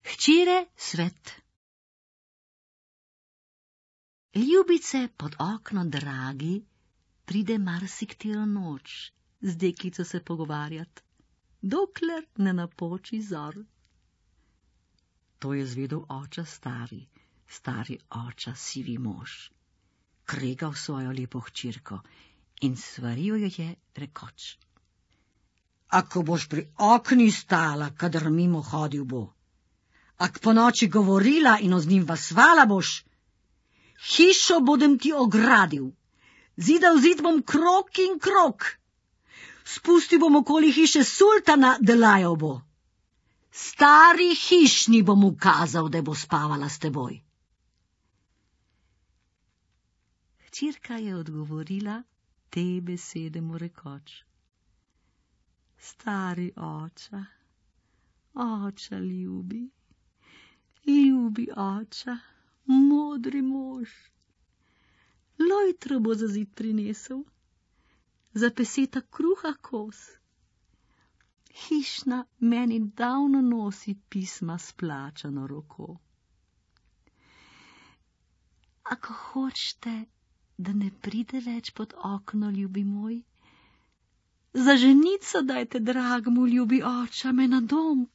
Hčere svet. Ljubice pod okno dragi pride marsikatero noč z deklico se pogovarjat, dokler ne napoči zor. To je zvedel oča stari oča sivi mož. Kregal svojo lepo hčerko in svaril jo je rekoč: Ako boš pri okni stala, kadar mimo hodil bo, ak po noči govorila in z njim vasvala boš, hišo bodem ti ogradil, zida v zid bom krog in krog, spustil bom okoli hiše sultana, da lajal bo. Stari hišni bom ukazal, da bo spavala s teboj. Hčerka je odgovorila te besede mu rekoč: Stari oča, oča ljubi, ljubi oča, modri mož, lojtro bo za zid prinesel, za peseta kruha kos. Hišna meni davno nosi pisma s plačano roko. Ako hočete, da ne pride več pod okno, ljubi moj, za ženico dajte dragmu, ljubi oča, me na dom